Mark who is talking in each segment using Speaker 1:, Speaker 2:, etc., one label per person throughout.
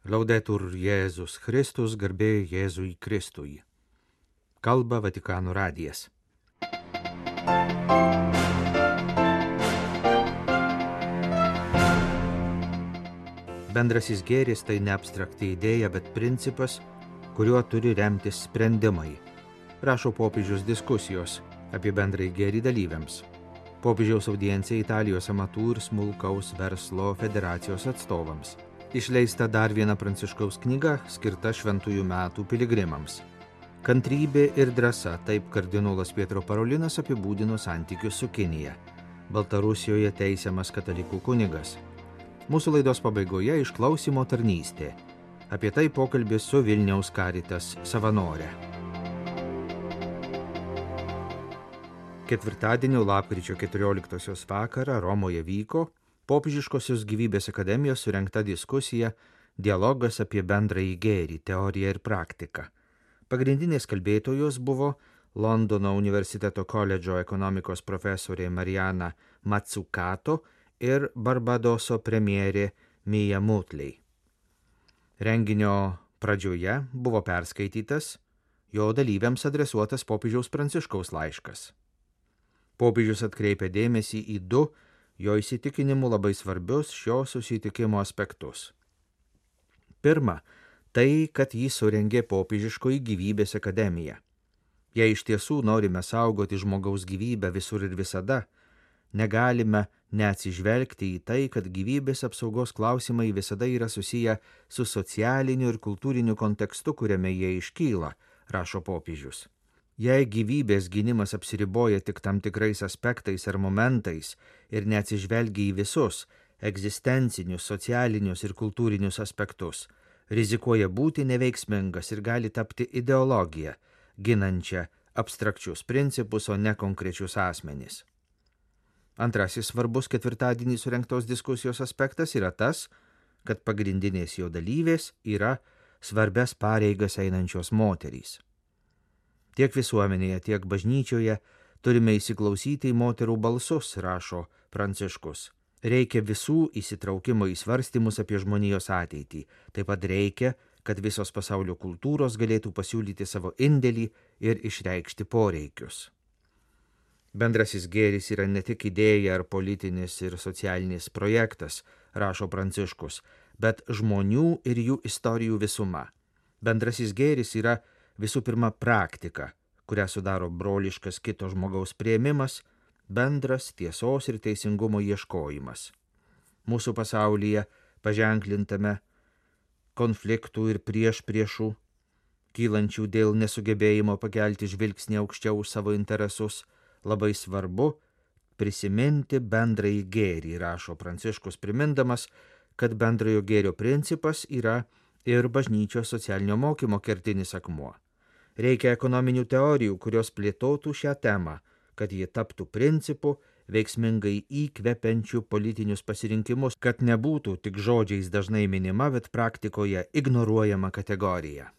Speaker 1: Laudetur Jėzus Kristus, garbė Jėzui Kristui. Kalba Vatikano radijas. Bendrasis gėris tai ne abstrakti idėja, bet principas, kuriuo turi remtis sprendimai. Rašo popiežiaus diskusijos apie bendrąjį gėrį dalyviams. Popiežiaus audiencija Italijos amatų ir smulkaus verslo federacijos atstovams. Išleista dar viena Pranciškaus knyga, skirta šventųjų metų piligrimams. Kantrybė ir drąsa, taip kardinolas Pietro Parolinas apibūdino santykius su Kinija. Baltarusijoje teisiamas katalikų kunigas. Mūsų laidos pabaigoje išklausymo tarnystė. Apie tai pokalbis su Vilniaus Caritas savanorė. Ketvirtadienio lapkričio 14 vakarą Romoje vyko Popiežiškosios gyvybės akademijos surengta diskusija Dialogas apie bendrąjį gėrį, teoriją ir praktiką. Pagrindinės kalbėtojos buvo Londono universiteto koledžo ekonomikos profesorė Mariana Mazzucato ir Barbadoso premjerė Mia Mottley. Renginio pradžioje buvo perskaitytas jo dalyviams adresuotas popiežiaus Pranciškaus laiškas. Popiežius atkreipė dėmesį į du jo įsitikinimu labai svarbius šio susitikimo aspektus. Pirma, tai, kad jį surengė popiežiškoji gyvybės akademija. Jei iš tiesų norime saugoti žmogaus gyvybę visur ir visada, negalime neatsižvelgti į tai, kad gyvybės apsaugos klausimai visada yra susiję su socialiniu ir kultūriniu kontekstu, kuriame jie iškyla, rašo popiežius. Jei gyvybės gynimas apsiriboja tik tam tikrais aspektais ar momentais ir neatsižvelgia į visus egzistencinius, socialinius ir kultūrinius aspektus, rizikuoja būti neveiksmingas ir gali tapti ideologija, ginančia abstrakčius principus, o ne konkrečius asmenys. Antrasis svarbus ketvirtadienį surengtos diskusijos aspektas yra tas, kad pagrindinės jo dalyvės yra svarbias pareigas einančios moterys. Tiek visuomenėje, tiek bažnyčioje turime įsiklausyti į moterų balsus, rašo Pranciškus. Reikia visų įsitraukimo į svarstymus apie žmonijos ateitį. Taip pat reikia, kad visos pasaulio kultūros galėtų pasiūlyti savo indėlį ir išreikšti poreikius. Bendrasis gėris yra ne tik idėja ar politinis ir socialinis projektas, rašo Pranciškus, bet žmonių ir jų istorijų visuma. Bendrasis gėris yra visų pirma praktika, kurią sudaro broliškas kito žmogaus priėmimas, bendras tiesos ir teisingumo ieškojimas. Mūsų pasaulyje paženklintame konfliktų ir priešpriešų, kylančių dėl nesugebėjimo pakelti žvilgsnį aukščiau už savo interesus, labai svarbu prisiminti bendrąjį gėrį, rašo Pranciškus, primindamas, kad bendrojo gėrio principas yra ir bažnyčios socialinio mokymo kertinis akmuo. Reikia ekonominių teorijų, kurios plėtotų šią temą, kad ji taptų principu, veiksmingai įkvepiančių politinius pasirinkimus, kad nebūtų tik žodžiais dažnai minima, bet praktikoje ignoruojama kategorija.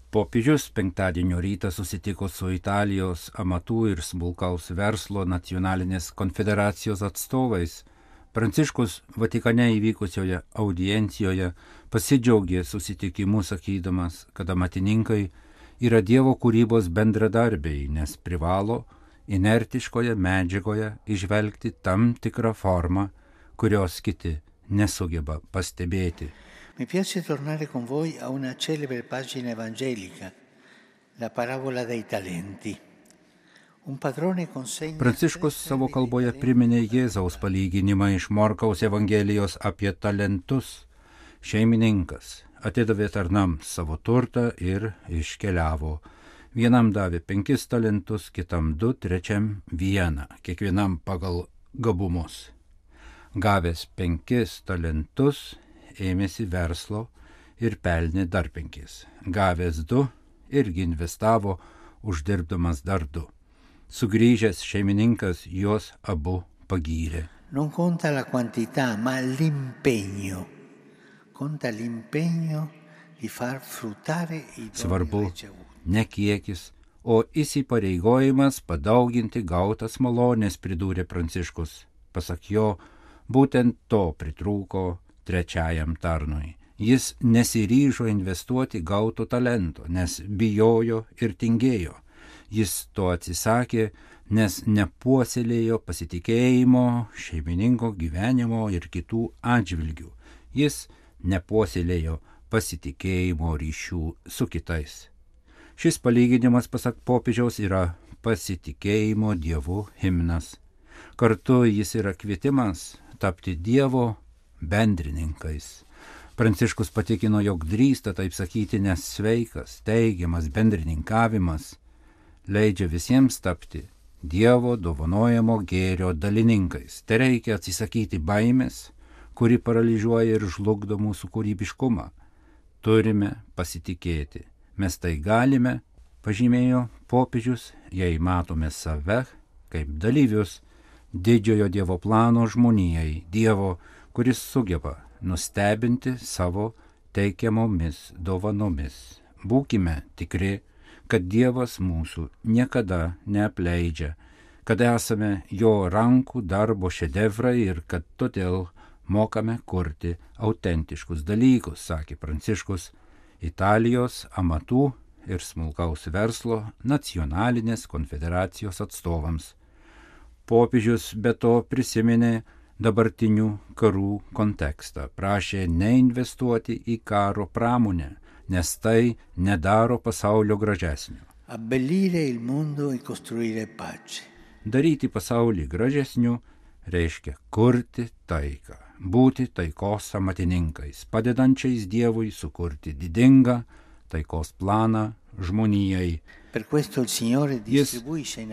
Speaker 2: Popiežius penktadienio rytą susitiko su Italijos amatų ir smulkaus verslo nacionalinės konfederacijos atstovais. Pranciškus Vatikane įvykusioje audiencijoje pasidžiaugė susitikimu, sakydamas, kad amatininkai yra Dievo kūrybos bendradarbiai, nes privalo inertiškoje medžiagoje įžvelgti tam tikrą formą, kurios kiti nesugeba pastebėti.
Speaker 3: Mi piace tornare con voi a una celebre pagina evangelica, la parabola dei talenti.
Speaker 2: Pranciškus savo kalboje priminė Jėzaus palyginimą iš Morkaus Evangelijos apie talentus. Šeimininkas atidavė tarnams savo turtą ir iškeliavo. Vienam davė 5 talentus, kitam 2, trečiam 1, kiekvienam pagal gabumus. Gavęs 5 talentus, ėmėsi verslo ir pelnė dar 5. Gavęs 2, irgi investavo, uždirbdamas dar 2. Sugrįžęs šeimininkas juos abu pagyrė.
Speaker 3: Non conta la quantità, ma l'impegno. Conta l'impegno di far fruttare i doni
Speaker 2: Svarbu
Speaker 3: ricevuti.
Speaker 2: ne kiekis, o įsipareigojimas padauginti gautas malonės, pridūrė Pranciškus. Pasak jo, būtent to pritrūko trečiajam tarnui. Jis nesiryžo investuoti gauto talento, nes bijojo ir tingėjo. Jis to atsisakė, nes nepuoselėjo pasitikėjimo šeimininko gyvenimo ir kitų atžvilgių. Jis nepuoselėjo pasitikėjimo ryšių su kitais. Šis palyginimas, pasak popiežiaus, yra pasitikėjimo Dievu himnas. Kartu jis yra kvietimas tapti Dievo bendrininkais. Pranciškus patikino, jog drįsta taip sakyti, nes sveikas, teigiamas bendrininkavimas leidžia visiems tapti Dievo dovanojamo gėrio dalininkais. Tai reikia atsisakyti baimės, kuri paralyžiuoja ir žlugdo mūsų kūrybiškumą. Turime pasitikėti. Mes tai galime, pažymėjo popiežius, jei matome save kaip dalyvius didžiojo Dievo plano žmonijai, Dievo, kuris sugeba nustebinti savo teikiamomis dovanomis. Būkime tikri, kad Dievas mūsų niekada neapleidžia, kad esame jo rankų darbo šedevrai ir kad todėl mokame kurti autentiškus dalykus, sakė Pranciškus Italijos amatų ir smulkaus verslo nacionalinės konfederacijos atstovams. Popiežius be to prisiminė dabartinių karų kontekstą, prašė neinvestuoti į karo pramonę, nes tai nedaro pasaulio gražesnio.
Speaker 3: Abbellire il mondo e costruire pace.
Speaker 2: Daryti pasaulį gražesniu reiškia kurti taiką, būti taikos amatininkais, padedančiais Dievui sukurti didingą taikos planą žmonijai. Jis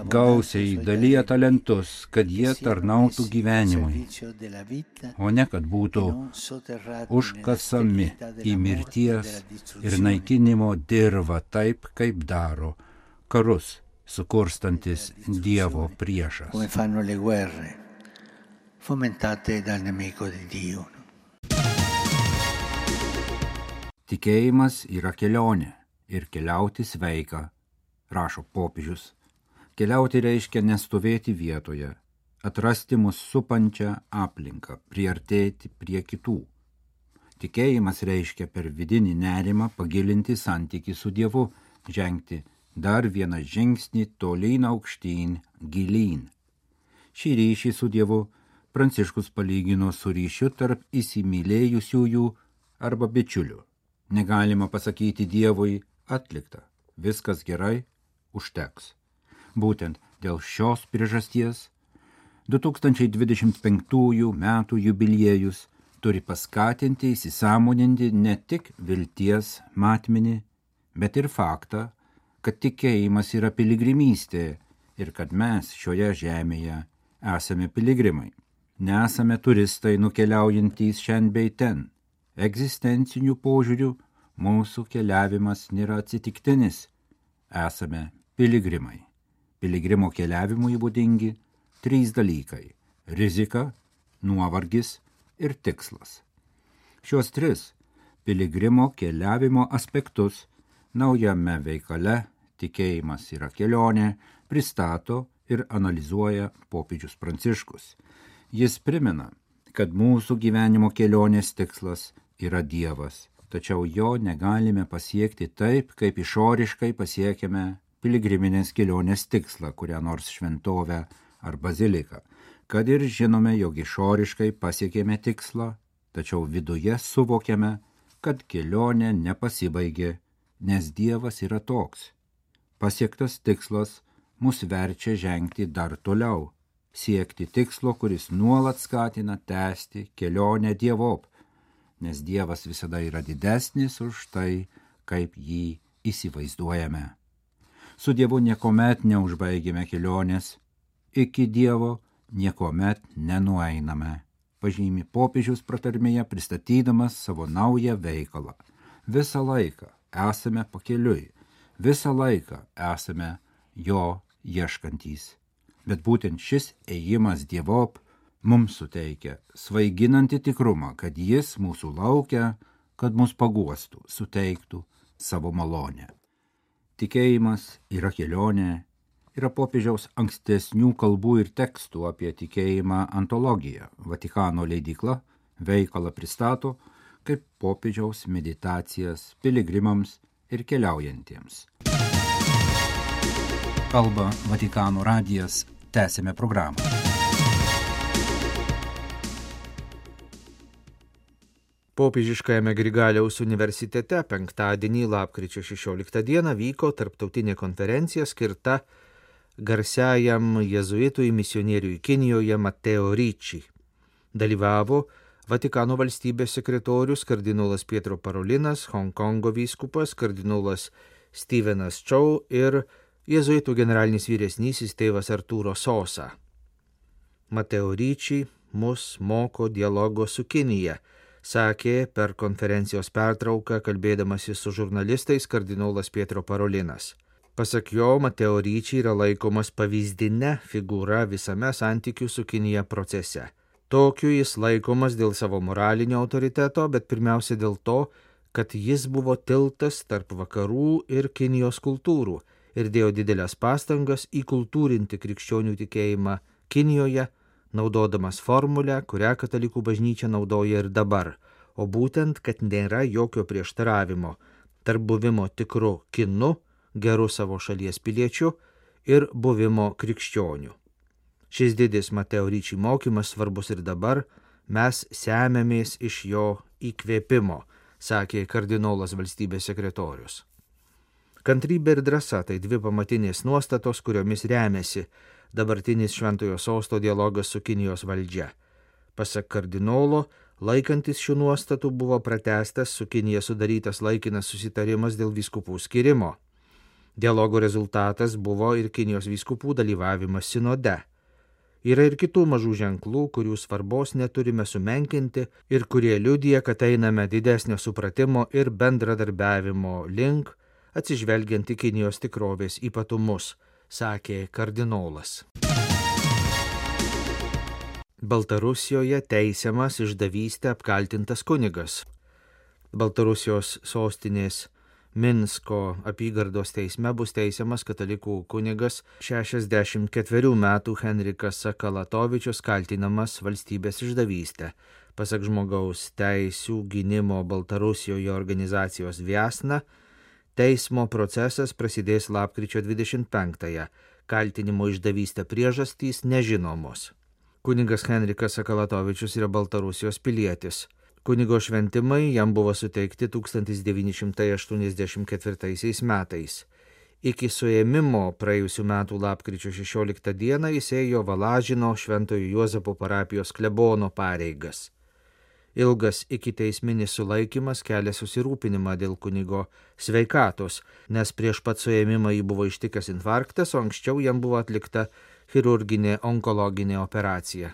Speaker 2: gausiai dalyja talentus, kad jie tarnautų gyvenimui, o ne kad būtų užkasami į mirties ir naikinimo dirvą taip, kaip daro karus sukurstantis Dievo priešas. Tikėjimas yra kelionė ir keliauti sveika, rašo popiežius. Keliauti reiškia nestovėti vietoje, atrasti mus supančią aplinką, priartėti prie kitų. Tikėjimas reiškia per vidinį nerimą pagilinti santykį su Dievu, žengti dar vieną žingsnį tolyn aukštyn, gilyn. Šį ryšį su Dievu Pranciškus palygino su ryšiu tarp įsimylėjusiųjų arba bičiulių. Negalima pasakyti Dievui atlikta, viskas gerai, užteks. Būtent dėl šios priežasties 2025 metų jubiliejus turi paskatinti įsisąmoninti ne tik vilties matmenį, bet ir faktą, kad tikėjimas yra piligrimystė ir kad mes šioje žemėje esame piligrimai. Nesame turistai nukeliaujantys šen bei ten. Egzistencinių požiūrių mūsų keliavimas nėra atsitiktinis. Esame piligrimai. Piligrimo keliavimui būdingi 3 dalykai – rizika, nuovargis ir tikslas. Šios 3 piligrimo keliavimo aspektus naujame veikale Tikėjimas yra kelionė pristato ir analizuoja popiežius Pranciškus. Jis primena, kad mūsų gyvenimo kelionės tikslas yra Dievas, tačiau jo negalime pasiekti taip, kaip išoriškai pasiekiame piligriminės kelionės tikslą, kurią nors šventovę ar baziliką. Kad ir žinome, jog išoriškai pasiekėme tikslą, tačiau viduje suvokiame, kad kelionė nepasibaigė, nes Dievas yra toks. Pasiektas tikslas mus verčia žengti dar toliau, siekti tikslo, kuris nuolat skatina tęsti kelionę Dievop, nes Dievas visada yra didesnis už tai, kaip jį įsivaizduojame. Su Dievu niekuomet neužbaigėme kelionės, iki Dievo niekuomet nenueiname, pažymi popiežius pratarmėje pristatydamas savo naują veikalą. Visą laiką esame pakeliui, visą laiką esame jo ieškantys. Bet būtent šis ėjimas Dievop mums suteikia svaiginantį tikrumą, kad jis mūsų laukia, kad mus paguostų, suteiktų savo malonę. Tikėjimas yra kelionė, yra popiežiaus ankstesnių kalbų ir tekstų apie tikėjimą antologija, Vatikano leidykla, Veikalą pristato kaip popiežiaus meditacijas piligrimams ir keliaujantiems. Kalba Vatikano radijas, tęsime programą.
Speaker 1: Popiežiškajame Grigaliaus universitete penktadienį lapkričio 16 dieną vyko tarptautinė konferencija skirta garsiajam jėzuitui misionieriui Kinijoje Matteo Ricci. Dalyvavo Vatikano valstybės sekretorius kardinolas Pietro Parolinas, Honkongo vyskupas kardinolas Stevenas Chow ir jėzuitų generalinis vyresnysis tėvas Arturo Sosa. Matteo Ricci mus moko dialogo su Kinija, sakė per konferencijos pertrauką kalbėdamasis su žurnalistais kardinolas Pietro Parolinas. Pasak jo, Matteo Ricci yra laikomas pavyzdine figūra visame santykių su Kinija procese. Tokiu jis laikomas dėl savo moralinio autoriteto, bet pirmiausia dėl to, kad jis buvo tiltas tarp vakarų ir Kinijos kultūrų ir dėjo didelės pastangas įkultūrinti krikščionių tikėjimą Kinijoje, naudodamas formulę, kurią katalikų bažnyčia naudoja ir dabar, o būtent, kad nėra jokio prieštaravimo tarp buvimo tikru kinu, geru savo šalies piliečiu ir buvimo krikščioniu. Šis didis Matteo Ricci mokymas svarbus ir dabar, mes semiamės iš jo įkvėpimo, sakė kardinolas valstybės sekretorius. Kantrybė ir drąsa tai dvi pamatinės nuostatos, kuriomis remiasi dabartinis Šventojo Sosto dialogas su Kinijos valdžia. Pasak kardinolo, laikantis šių nuostatų buvo pratęstas su Kinija sudarytas laikinas susitarimas dėl vyskupų skirimo. Dialogo rezultatas buvo ir Kinijos vyskupų dalyvavimas sinode. Yra ir kitų mažų ženklų, kurių svarbos neturime sumenkinti ir kurie liudija, kad einame didesnio supratimo ir bendradarbiavimo link, atsižvelgiant į Kinijos tikrovės ypatumus, sakė kardinolas. Baltarusijoje teisiamas išdavystę apkaltintas kunigas. Baltarusijos sostinės Minsko apygardos teisme bus teisiamas katalikų kunigas 64 metų Henrikas Sakalatovičius, kaltinamas valstybės išdavystę. Pasak žmogaus teisių gynimo Baltarusijoje organizacijos Viasna, teismo procesas prasidės lapkričio 25-ąją. Kaltinimo išdavystę priežastys nežinomos. Kunigas Henrikas Sakalatovičius yra Baltarusijos pilietis. Kunigo šventimai jam buvo suteikti 1984 metais. Iki suėmimo praėjusių metų lapkričio 16 dieną jis ėjo Valažino Šventojo Juozapo parapijos klebono pareigas. Ilgas ikiteisminis sulaikymas kelia susirūpinimą dėl kunigo sveikatos, nes prieš pat suėmimą jį buvo ištikęs infarktas, o anksčiau jam buvo atlikta chirurginė onkologinė operacija.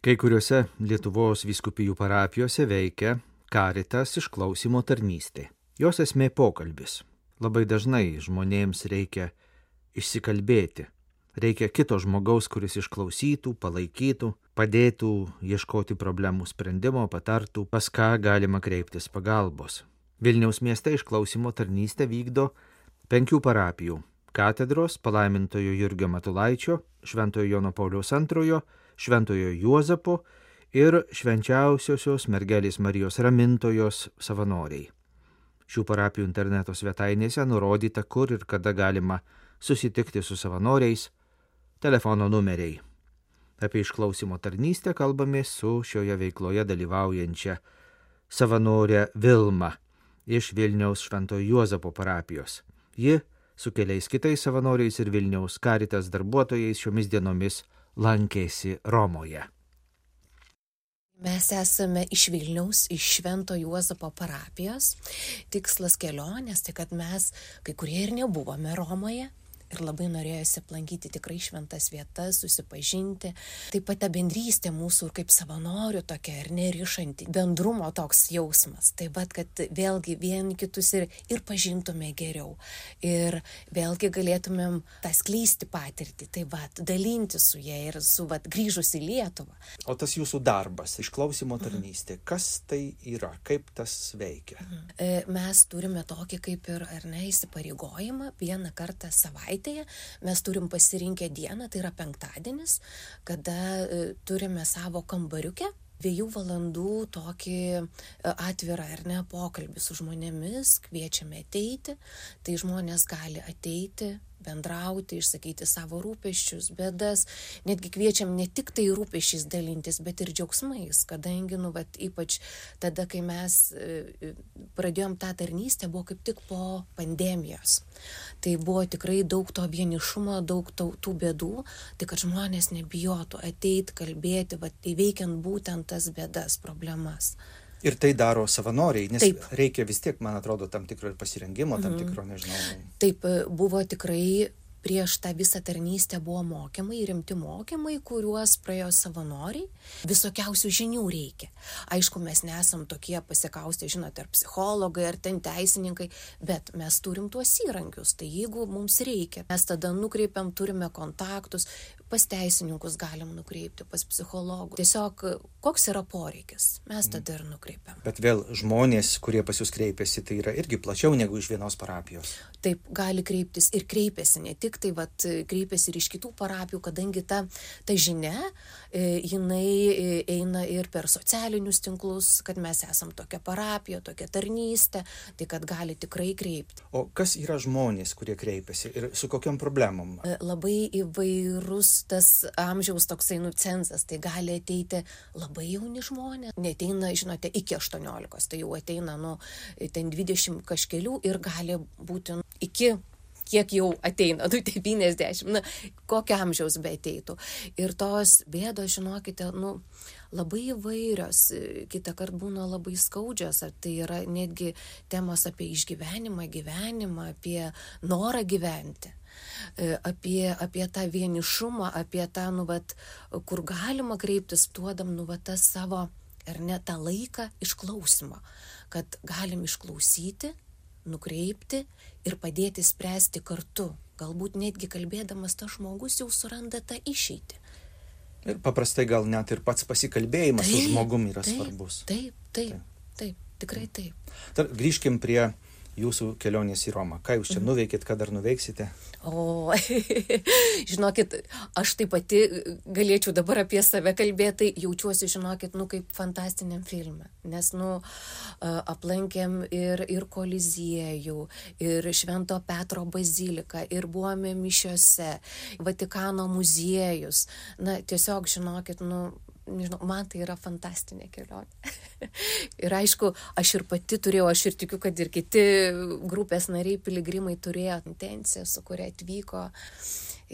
Speaker 1: Kai kuriuose Lietuvos vyskupijų parapijose veikia Caritas išklausymo tarnystė. Jos esmė pokalbis. Labai dažnai žmonėms reikia išsikalbėti. Reikia kito žmogaus, kuris išklausytų, palaikytų, padėtų ieškoti problemų sprendimo, patartų, pas ką galima kreiptis pagalbos. Vilniaus mieste išklausymo tarnystę vykdo 5 parapijų – katedros, palaimintojo Jurgio Matulaičio, Šventojo Jono Pauliaus II, Šventojo Juozapo ir Švenčiausiosios mergelės Marijos Ramintojos savanoriai. Šių parapijų interneto svetainėse nurodyta, kur ir kada galima susitikti su savanoriais, telefono numeriai. Apie išklausymo tarnystę kalbamės su šioje veikloje dalyvaujančia savanorė Vilma iš Vilniaus Šventojo Juozapo parapijos. Ji su keliais kitais savanoriais ir Vilniaus Caritas darbuotojais šiomis dienomis lankėsi Romoje.
Speaker 4: Mes esame iš Vilniaus, iš Švento Juozapo parapijos. Tikslas kelionės, tai kad mes, kai kurie ir nebuvome Romoje, ir labai norėjosi aplankyti tikrai šventas vietas, susipažinti. Taip pat ta bendrystė mūsų kaip savanorių tokia ir nerišanti, bendrumo toks jausmas. Taip pat, kad vėlgi vieni kitus ir pažintume geriau. Ir vėlgi galėtumėm tą skleisti patirtį, taip pat dalinti su jie ir su grįžus į Lietuvą.
Speaker 1: O tas jūsų darbas, išklausymo tarnystė, kas tai yra, kaip tas veikia?
Speaker 4: Mes turime tokį kaip ir įsipareigojimą vieną kartą savaitėje. Mes turim pasirinkę dieną, tai yra penktadienis, kada turime savo kambariukę, 2 valandų tokį atvirą pokalbį su žmonėmis, kviečiame ateiti, tai žmonės gali ateiti, bendrauti, išsakyti savo rūpesčius, bėdas, netgi kviečiam ne tik tai rūpesčiais dalintis, bet ir džiaugsmais, kadangi, ypač tada, kai mes pradėjom tą tarnystę, buvo kaip tik po pandemijos. Tai buvo tikrai daug to vienišumo, daug tų bėdų, tai kad žmonės nebijotų ateiti, kalbėti, įveikiant būtent tas bėdas, problemas.
Speaker 1: Ir tai daro savanoriai, nes
Speaker 4: Taip.
Speaker 1: reikia vis tiek, man atrodo, tam tikro ir pasirengimo, tam tikro, nežinau.
Speaker 4: Taip, buvo tikrai prieš tą visą tarnystę buvo mokymai, rimti mokymai, kuriuos praėjo savanoriai. Visokiausių žinių reikia. Aišku, mes nesam tokie pasikaustę, žinote, ar psichologai, ar ten teisininkai, bet mes turim tuos įrankius. Tai jeigu mums reikia, mes tada nukreipiam, turime kontaktus, pas teisininkus galim nukreipti, pas psichologų. Tiesiog, koks yra poreikis, mes tada ir nukreipiam.
Speaker 1: Bet vėl žmonės, kurie pas jūs kreipiasi, tai yra irgi plačiau negu iš vienos parapijos.
Speaker 4: Taip, gali kreiptis ir kreipiasi, ne tik tai kreipiasi ir iš kitų parapijų, kadangi ta žinia, jinai eina ir per socialinius tinklus, kad mes esam tokia parapija, tokia tarnystė, tai kad gali tikrai kreipti.
Speaker 1: O kas yra žmonės, kurie kreipiasi ir su kokiom problemom?
Speaker 4: Labai įvairus tas amžiaus toksai cenzas, tai gali ateiti labai jauni žmonės, neteina, žinote, iki 18, tai jau ateina, ten 20 kažkelių ir gali būti iki kiek jau ateina, 90, kokio amžiaus be ateitų. Ir tos bėdos, žinokite, labai įvairios, kitą kartą būna labai skaudžios, ar tai yra netgi temos apie išgyvenimą, gyvenimą, apie norą gyventi, apie tą vienišumą, apie tą, kur galima kreiptis, duodam, tą savo, ar ne, tą laiką išklausimo, kad galim išklausyti, nukreipti ir padėti spręsti kartu. Galbūt netgi kalbėdamas tas žmogus jau suranda tą išeitį.
Speaker 1: Ir paprastai gal net ir pats pasikalbėjimas su žmogumi yra svarbus.
Speaker 4: Taip, tikrai taip.
Speaker 1: Dar grįžkim prie jūsų kelionės į Romą. Ką jūs čia nuveikėt, ką dar nuveiksite?
Speaker 4: O, žinokit, aš taip pati galėčiau dabar apie save kalbėti, jaučiuosi, žinokit, kaip fantastiniam filme. Nes, aplankėm ir Koliziejų, ir Švento Petro baziliką, ir buvome mišiose, Vatikano muziejus. Tiesiog, žinokit, nežinau, man tai yra fantastinė kelionė. Ir aišku, aš ir pati turėjau, aš ir tikiu, kad ir kiti grupės nariai, piligrimai turėjo intenciją, su kuria atvyko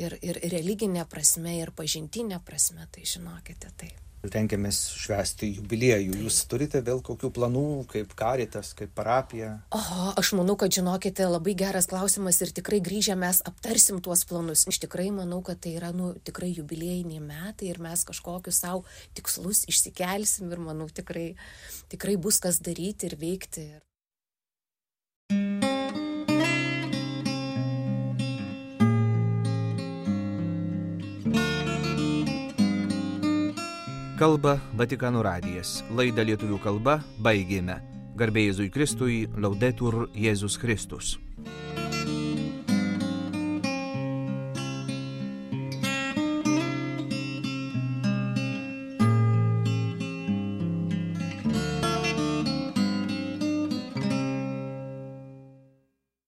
Speaker 4: ir religinė prasme, ir pažintinė prasme, tai žinokite, taip.
Speaker 1: Rengiamės švęsti jubiliejų. Jūs turite vėl kokių planų, kaip Caritas, kaip parapija?
Speaker 4: Aš manau, kad žinokite, labai geras klausimas ir tikrai grįžę mes aptarsim tuos planus. Aš tikrai manau, kad tai yra tikrai jubiliejiniai metai ir mes kažkokius savo tikslus išsikelsim ir manau tikrai bus kas daryti ir veikti.
Speaker 1: Kalba Vatikano radijas. Laidą lietuvių kalba baigėme. Garbė Jėzui Kristui, Laudetur Jėzus Kristus.